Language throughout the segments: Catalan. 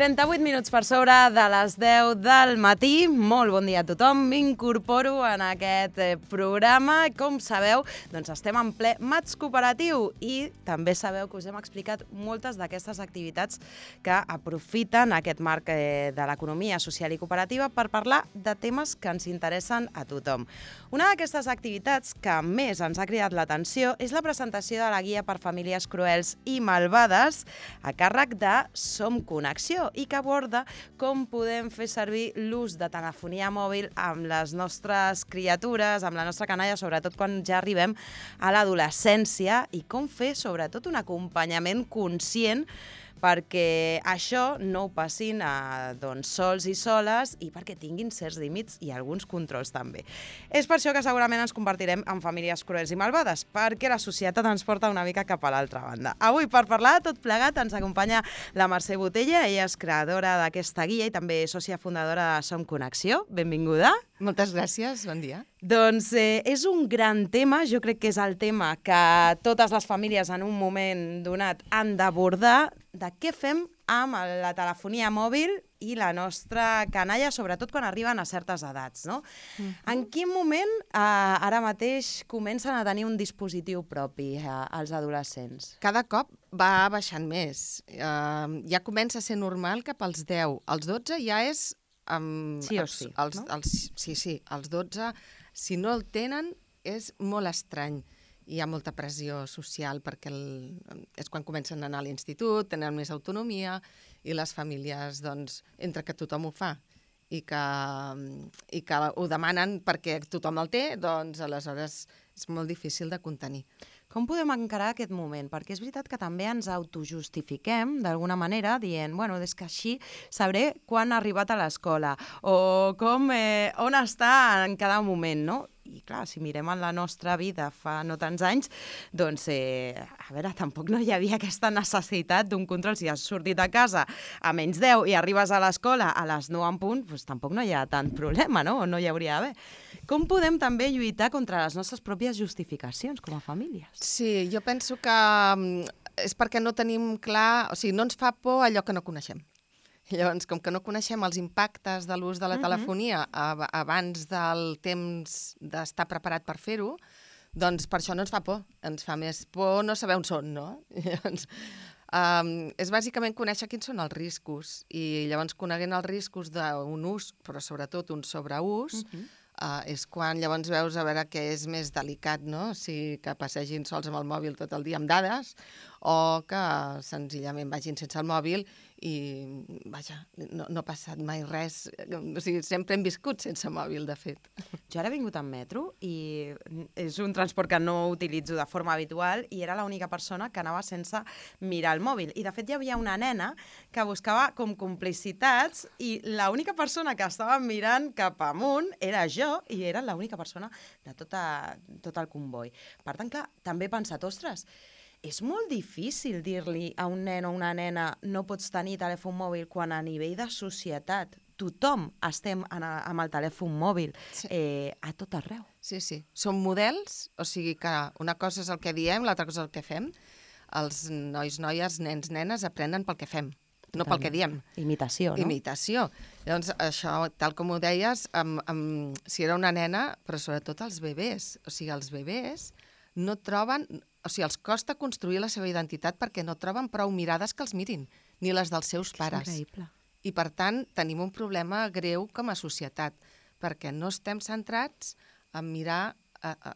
38 minuts per sobre de les 10 del matí. Molt bon dia a tothom. M'incorporo en aquest programa. Com sabeu, doncs estem en ple Maig Cooperatiu i també sabeu que us hem explicat moltes d'aquestes activitats que aprofiten aquest marc de l'economia social i cooperativa per parlar de temes que ens interessen a tothom. Una d'aquestes activitats que més ens ha cridat l'atenció és la presentació de la guia per famílies cruels i malvades a càrrec de Som Connexió i que aborda com podem fer servir l'ús de telefonia mòbil amb les nostres criatures, amb la nostra canalla, sobretot quan ja arribem a l'adolescència, i com fer sobretot un acompanyament conscient perquè això no ho passin sols i soles i perquè tinguin certs límits i alguns controls també. És per això que segurament ens convertirem en famílies cruels i malvades, perquè la societat ens porta una mica cap a l'altra banda. Avui, per parlar de tot plegat, ens acompanya la Mercè Botella. Ella és creadora d'aquesta guia i també sòcia fundadora de Som Connexió. Benvinguda. Moltes gràcies, bon dia. Doncs és un gran tema, jo crec que és el tema que totes les famílies en un moment donat han d'abordar, de què fem amb la telefonia mòbil i la nostra canalla, sobretot quan arriben a certes edats, no? En quin moment ara mateix comencen a tenir un dispositiu propi els adolescents? Cada cop va baixant més. Ja comença a ser normal cap als 10. Als 12 ja és... sí o sí, no? Sí, als 12, si no el tenen, és molt estrany. Hi ha molta pressió social perquè és quan comencen a anar a l'institut, tenen més autonomia i les famílies, doncs, entre que tothom ho fa i que ho demanen perquè tothom el té, doncs aleshores és molt difícil de contenir. Com podem encarar aquest moment? Perquè és veritat que també ens autojustifiquem d'alguna manera dient, bueno, és que així sabré quan ha arribat a l'escola o on està en cada moment, no? I clar, si mirem en la nostra vida fa no tants anys, doncs, a veure, tampoc no hi havia aquesta necessitat d'un control. Si has sortit a casa a menys 10 i arribes a l'escola a les 9 en punt, doncs tampoc no hi ha tant problema, no? O no hi hauria d'haver. Com podem també lluitar contra les nostres pròpies justificacions com a famílies? Sí, jo penso que és perquè no tenim clar, o sigui, no ens fa por allò que no coneixem. Llavors, com que no coneixem els impactes de l'ús de la telefonia abans del temps d'estar preparat per fer-ho, doncs per això no ens fa por. Ens fa més por no saber on són, no? Llavors, és bàsicament conèixer quins són els riscos i llavors coneguent els riscos d'un ús, però sobretot un sobreús, és quan llavors veus a veure què és més delicat, no? Si que passegin sols amb el mòbil tot el dia amb dades o que senzillament vagin sense el mòbil i, vaja, no ha passat mai res. O sigui, sempre hem viscut sense mòbil, de fet. Jo ara he vingut en metro i és un transport que no utilitzo de forma habitual i era l'única persona que anava sense mirar el mòbil. I, de fet, hi havia una nena que buscava com complicitats i l'única persona que estava mirant cap amunt era jo i era l'única persona de tot el comboi. Per tant, clar, també he pensat, ostres, és molt difícil dir-li a un nen o una nena no pots tenir telèfon mòbil quan a nivell de societat tothom estem amb el telèfon mòbil a tot arreu. Sí. Són models, o sigui que una cosa és el que diem, l'altra cosa és el que fem. Els nois, noies, nens, nenes aprenen pel que fem, no pel que diem. Imitació, no? Imitació. Llavors, això, tal com ho deies, si era una nena, però sobretot els bebès. O sigui, els bebès no troben... O sigui, els costa construir la seva identitat perquè no troben prou mirades que els mirin, ni les dels seus pares. És increïble. I, per tant, tenim un problema greu com a societat, perquè no estem centrats en mirar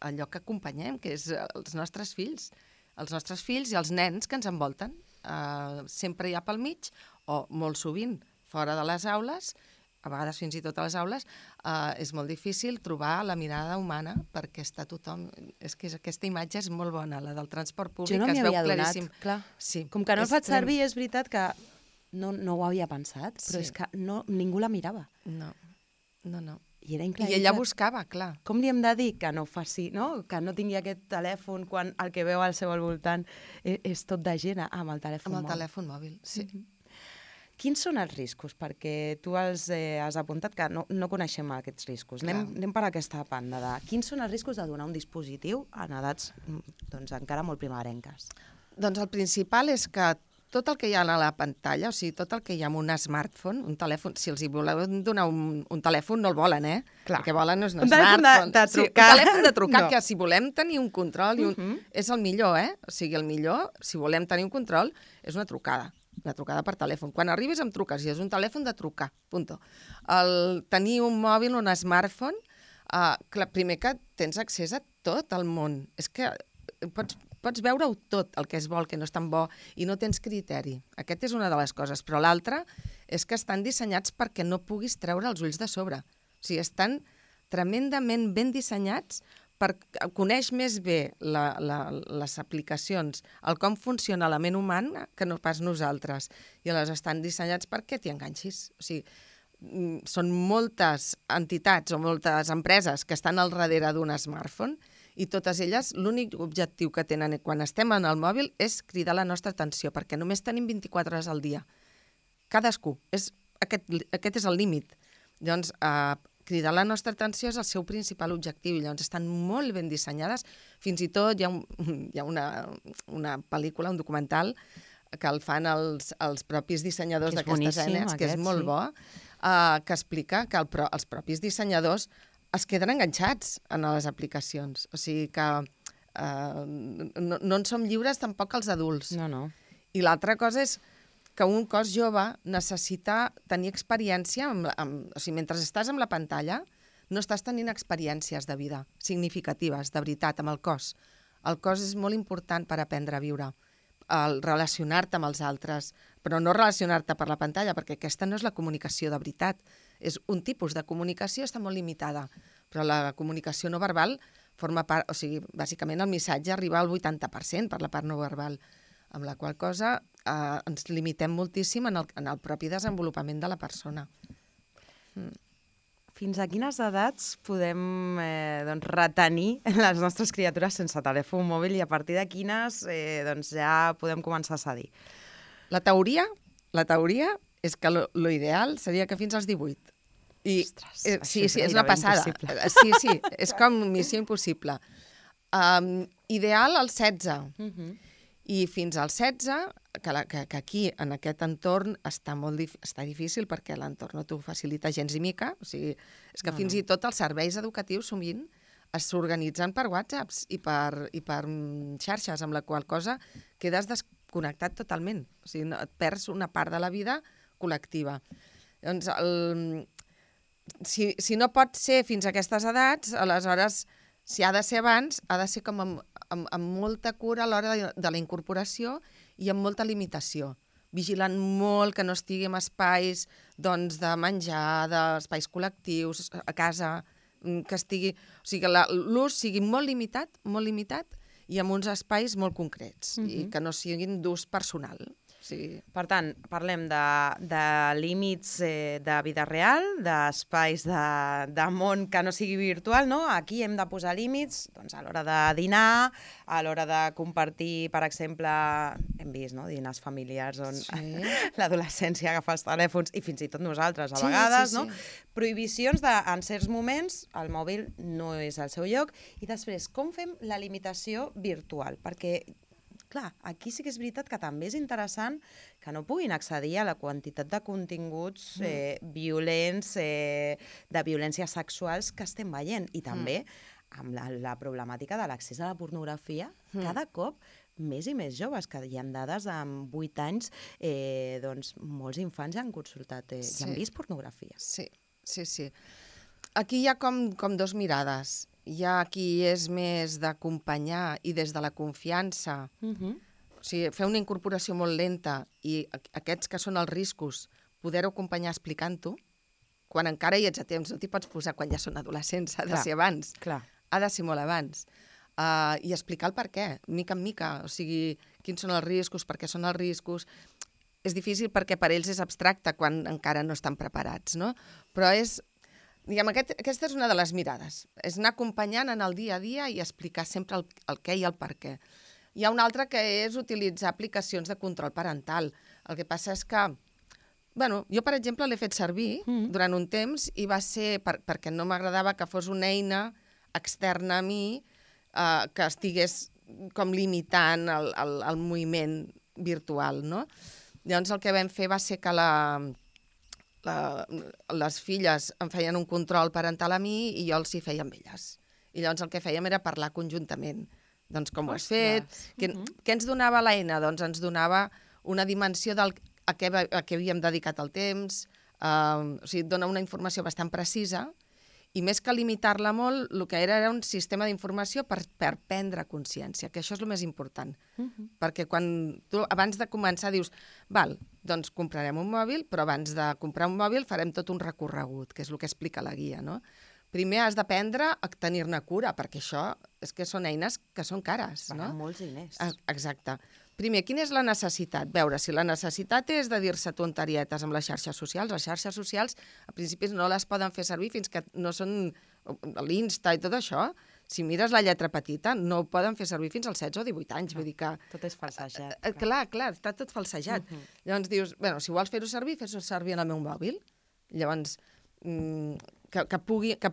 allò que acompanyem, que és els nostres fills i els nens que ens envolten. Sempre hi ha pel mig, o molt sovint fora de les aules, a vegades fins i tot a les aules, és molt difícil trobar la mirada humana perquè està tothom... És que aquesta imatge és molt bona, la del transport públic, jo no que es veu claríssim. Clar. Sí. Com que no el faig servir, és veritat que no ho havia pensat, però és que ningú la mirava. No. I era increïble. I ella buscava, clar. Com li hem de dir que no faci, no? Que no tingui aquest telèfon quan el que veu al seu voltant és tot de gent amb el telèfon mòbil. Amb el telèfon mòbil, sí. Quins són els riscos? Perquè tu has apuntat que no coneixem aquests riscos. Anem per aquesta banda. Quins són els riscos de donar un dispositiu en edats encara molt primerenques? Doncs el principal és que tot el que hi ha a la pantalla, o sigui, tot el que hi ha en un smartphone, un telèfon, si els hi voleu donar un telèfon, no el volen, eh? Clar. El que volen és un smartphone. De trucar. Sí, un telèfon de trucar, No. que si volem tenir un control, és el millor, eh? O sigui, el millor, si volem tenir un control, és una trucada per telèfon. Quan arribes em truques i és un telèfon de trucar, punto. Tenir un mòbil, un smartphone, clar, primer que tens accés a tot el món. És que pots veure-ho tot, el que és bo, el que no és tan bo, i no tens criteri. Aquesta és una de les coses. Però l'altra és que estan dissenyats perquè no puguis treure els ulls de sobre. O sigui, estan tremendament ben dissenyats per coneix més bé les aplicacions, el com funciona la ment humana que no pas nosaltres. I aleshores estan dissenyats perquè t'hi enganxis. O sigui, són moltes entitats o moltes empreses que estan al darrere d'un smartphone i totes elles, l'únic objectiu que tenen quan estem en el mòbil és cridar la nostra atenció, perquè només tenim 24 hores al dia. Cadascú. Aquest és el límit. Llavors, cridar la nostra atenció és el seu principal objectiu. Llavors, estan molt ben dissenyades. Fins i tot hi ha una pel·lícula, un documental, que el fan els propis dissenyadors d'aquestes eines, que és molt bo, que explica que els propis dissenyadors es queden enganxats en les aplicacions. O sigui que no en som lliures tampoc els adults. No. I l'altra cosa és que un cos jove necessita tenir experiència, o sigui, mentre estàs amb la pantalla, no estàs tenint experiències de vida significatives, de veritat, amb el cos. El cos és molt important per aprendre a viure, el relacionar-te amb els altres, però no relacionar-te per la pantalla, perquè aquesta no és la comunicació de veritat. És un tipus de comunicació, està molt limitada, però la comunicació no verbal forma part, o sigui, bàsicament el missatge arriba al 80% per la part no verbal, amb la qual cosa ens limitem moltíssim en el propi desenvolupament de la persona. Fins a quines edats podem retenir les nostres criatures sense telèfon mòbil i a partir de quines ja podem començar a cedir? La teoria és que l'ideal seria que fins als 18. Ostres, sí, és una passada. Sí, és com missió impossible. Ideal als 16. I fins als 16, que aquí, en aquest entorn, està difícil perquè l'entorn no t'ho facilita gens i mica. O sigui, és que fins i tot els serveis educatius sovint s'organitzen per WhatsApps i per xarxes, amb la qual cosa quedes desconnectat totalment. O sigui, et perds una part de la vida col·lectiva. Doncs, si no pot ser fins a aquestes edats, aleshores, si ha de ser abans, ha de ser com amb molta cura a l'hora de la incorporació i amb molta limitació, vigilant molt que no estigui en espais de menjar, d'espais col·lectius, a casa, que estigui... O sigui, que l'ús sigui molt limitat i amb uns espais molt concrets i que no siguin d'ús personal. Sí. Per tant, parlem de límits de vida real, d'espais de món que no sigui virtual, no? Aquí hem de posar límits a l'hora de dinar, a l'hora de compartir, per exemple, hem vist, no?, dinars familiars on l'adolescència agafa els telèfons i fins i tot nosaltres a vegades, no? Prohibicions en certs moments, el mòbil no és al seu lloc, i després, com fem la limitació virtual? Perquè clar, aquí sí que és veritat que també és interessant que no puguin accedir a la quantitat de continguts violents, de violències sexuals que estem veient. I també amb la problemàtica de l'accés a la pornografia, cada cop més i més joves, que hi ha dades amb 8 anys, molts infants ja han consultat, ja han vist pornografia. Sí. Aquí hi ha com dos mirades. Hi ha qui és més d'acompanyar i des de la confiança, o sigui, fer una incorporació molt lenta i aquests que són els riscos, poder-ho acompanyar explicant-ho, quan encara hi ets a temps, no t'hi pots posar quan ja són adolescents, ha de ser abans, ha de ser molt abans. I explicar el per què, mica en mica, o sigui, quins són els riscos, per què són els riscos. És difícil perquè per ells és abstracte quan encara no estan preparats, no? Però aquesta és una de les mirades, és anar acompanyant en el dia a dia i explicar sempre el què i el per què. Hi ha una altra que és utilitzar aplicacions de control parental. El que passa és que, jo, per exemple, l'he fet servir durant un temps i va ser perquè no m'agradava que fos una eina externa a mi que estigués com limitant el moviment virtual, no? Llavors el que vam fer va ser que les filles em feien un control parental a mi i jo els hi feia amb elles. I llavors el que fèiem era parlar conjuntament. Doncs com ho has fet? Què ens donava l'eina? Doncs ens donava una dimensió a què havíem dedicat el temps, o sigui, dona una informació bastant precisa, i més que limitar-la molt, el que era un sistema d'informació per prendre consciència, que això és el més important. Perquè quan tu, abans de començar, dius, val, doncs comprarem un mòbil, però abans de comprar un mòbil farem tot un recorregut, que és el que explica la guia, no? Primer has d'aprendre a tenir-ne cura, perquè això és que són eines que són cares, no? Van molts diners. Exacte. Primer, quina és la necessitat? Veure, si la necessitat és de dir-se tonterietes amb les xarxes socials, a principis no les poden fer servir fins que no són l'Insta i tot això. Si mires la lletra petita, no ho poden fer servir fins als 16 o 18 anys. Vull dir que... Tot és falsejat. Clar, està tot falsejat. Llavors dius, bueno, si vols fer-ho servir, fes-ho servir en el meu mòbil. Llavors, que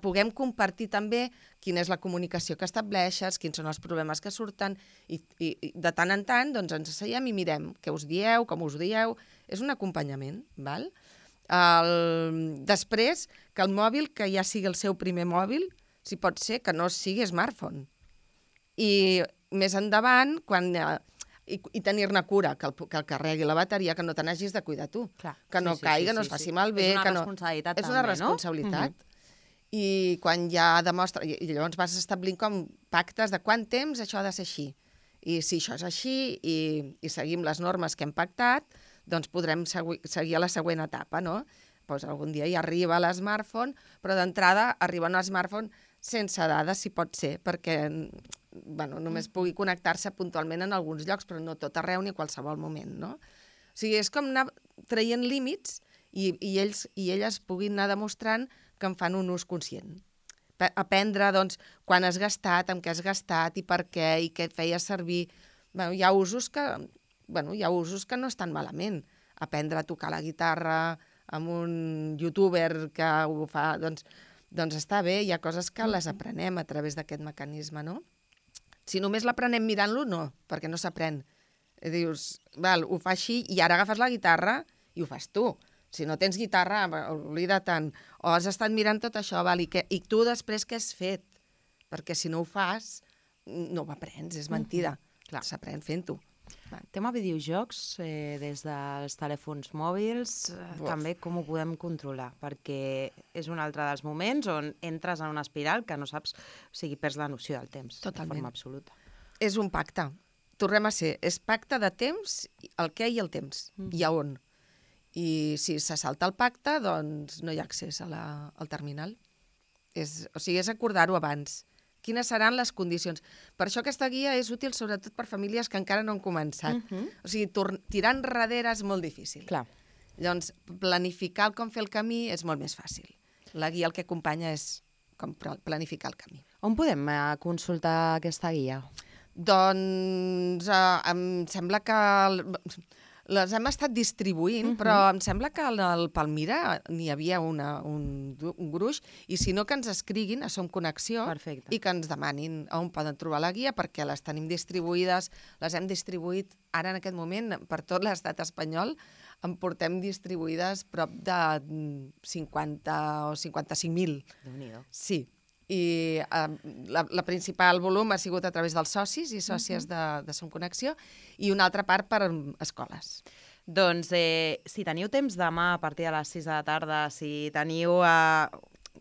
puguem compartir també quina és la comunicació que estableixes, quins són els problemes que surten, i de tant en tant doncs, ens asseiem i mirem què us dieu, com us dieu. És un acompanyament, val? Després, que el mòbil, que ja sigui el seu primer mòbil, si pot ser que no sigui smartphone. I més endavant, i tenir-ne cura, que el carregui la bateria, que no te n'hagis de cuidar tu. Clar. Que no caigui, no es faci malbé. És una responsabilitat també, no? És una responsabilitat. I quan ja demostra... I llavors vas establint com pactes de quant temps això ha de ser així. I si això és així i seguim les normes que hem pactat, doncs podrem seguir a la següent etapa, no? Doncs algun dia hi arriba l'smartphone, però d'entrada arriba un smartphone sense dades, si pot ser, perquè només pugui connectar-se puntualment en alguns llocs, però no tot arreu ni a qualsevol moment, no? O sigui, és com anar traient límits i ells i elles puguin anar demostrant que en fan un ús conscient. Aprendre, doncs, quan has gastat, amb què has gastat i per què, i què et feia servir. Hi ha usos que no estan malament. Aprendre a tocar la guitarra amb un youtuber que ho fa, doncs està bé, hi ha coses que les aprenem a través d'aquest mecanisme, no? Si només l'aprenem mirant-lo, no, perquè no s'aprèn. Dius, val, ho fa així i ara agafes la guitarra i ho fas tu. Si no tens guitarra, oblida tant. O has estat mirant tot això, val, i tu després què has fet? Perquè si no ho fas, no ho aprens, és mentida. S'aprèn fent-ho. Tema videojocs, des dels telèfons mòbils, també com ho podem controlar? Perquè és un altre dels moments on entres en una espiral que no saps, o sigui, perds la noció del temps. Totalment. De forma absoluta. És un pacte. Tornem a ser, és pacte de temps, el què i el temps, i a on. I si se salta el pacte, doncs no hi ha accés al terminal. O sigui, és acordar-ho abans. Quines seran les condicions? Per això aquesta guia és útil sobretot per famílies que encara no han començat. O sigui, tirar enrere és molt difícil. Clar. Llavors, planificar com fer el camí és molt més fàcil. La guia el que acompanya és com planificar el camí. On podem consultar aquesta guia? Doncs em sembla que... Les hem estat distribuint, però em sembla que al Palmira n'hi havia un gruix, i si no, que ens escriguin a Som Connexió. Perfecte. I que ens demanin on poden trobar la guia, perquè les tenim distribuïdes, les hem distribuït ara en aquest moment per tot l'estat espanyol, en portem distribuïdes prop de 50 o 55.000. Déu-n'hi-do. Sí. I la principal volum ha sigut a través dels socis i sòcies de Som Connexió, i una altra part per escoles. Doncs si teniu temps demà a partir de les 6 de la tarda, si teniu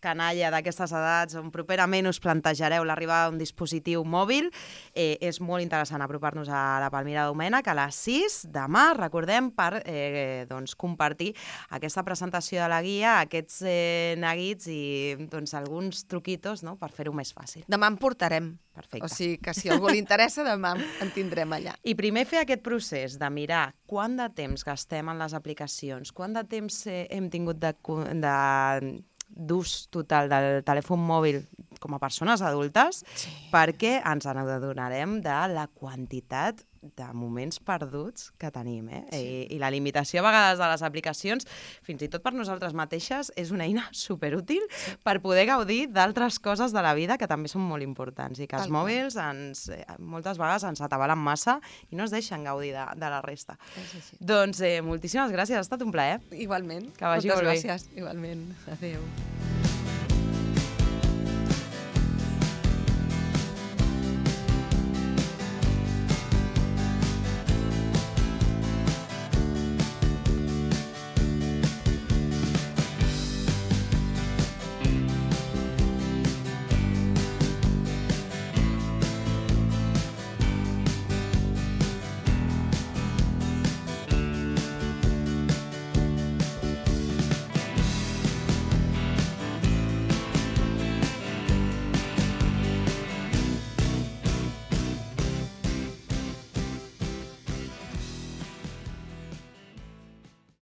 canalla d'aquestes edats on properament us plantejareu l'arribada d'un dispositiu mòbil, és molt interessant apropar-nos a la Palmira Domènech a les 6 demà, recordem, per compartir aquesta presentació de la guia, aquests neguits i alguns truquitos per fer-ho més fàcil. Demà en portarem. Perfecte. O sigui que si a algú li interessa, demà en tindrem allà. I primer fer aquest procés de mirar quant de temps gastem en les aplicacions, quant de temps hem tingut d'ús total del telèfon mòbil com a persones adultes, perquè ens adonarem de la quantitat de moments perduts que tenim, I la limitació a vegades de les aplicacions, fins i tot per nosaltres mateixes, és una eina superútil per poder gaudir d'altres coses de la vida que també són molt importants i que els mòbils moltes vegades ens atabalen massa i no ens deixen gaudir de la resta. Doncs moltíssimes gràcies, ha estat un plaer. Igualment. Que vagi molt bé. Moltes gràcies, igualment. Adéu.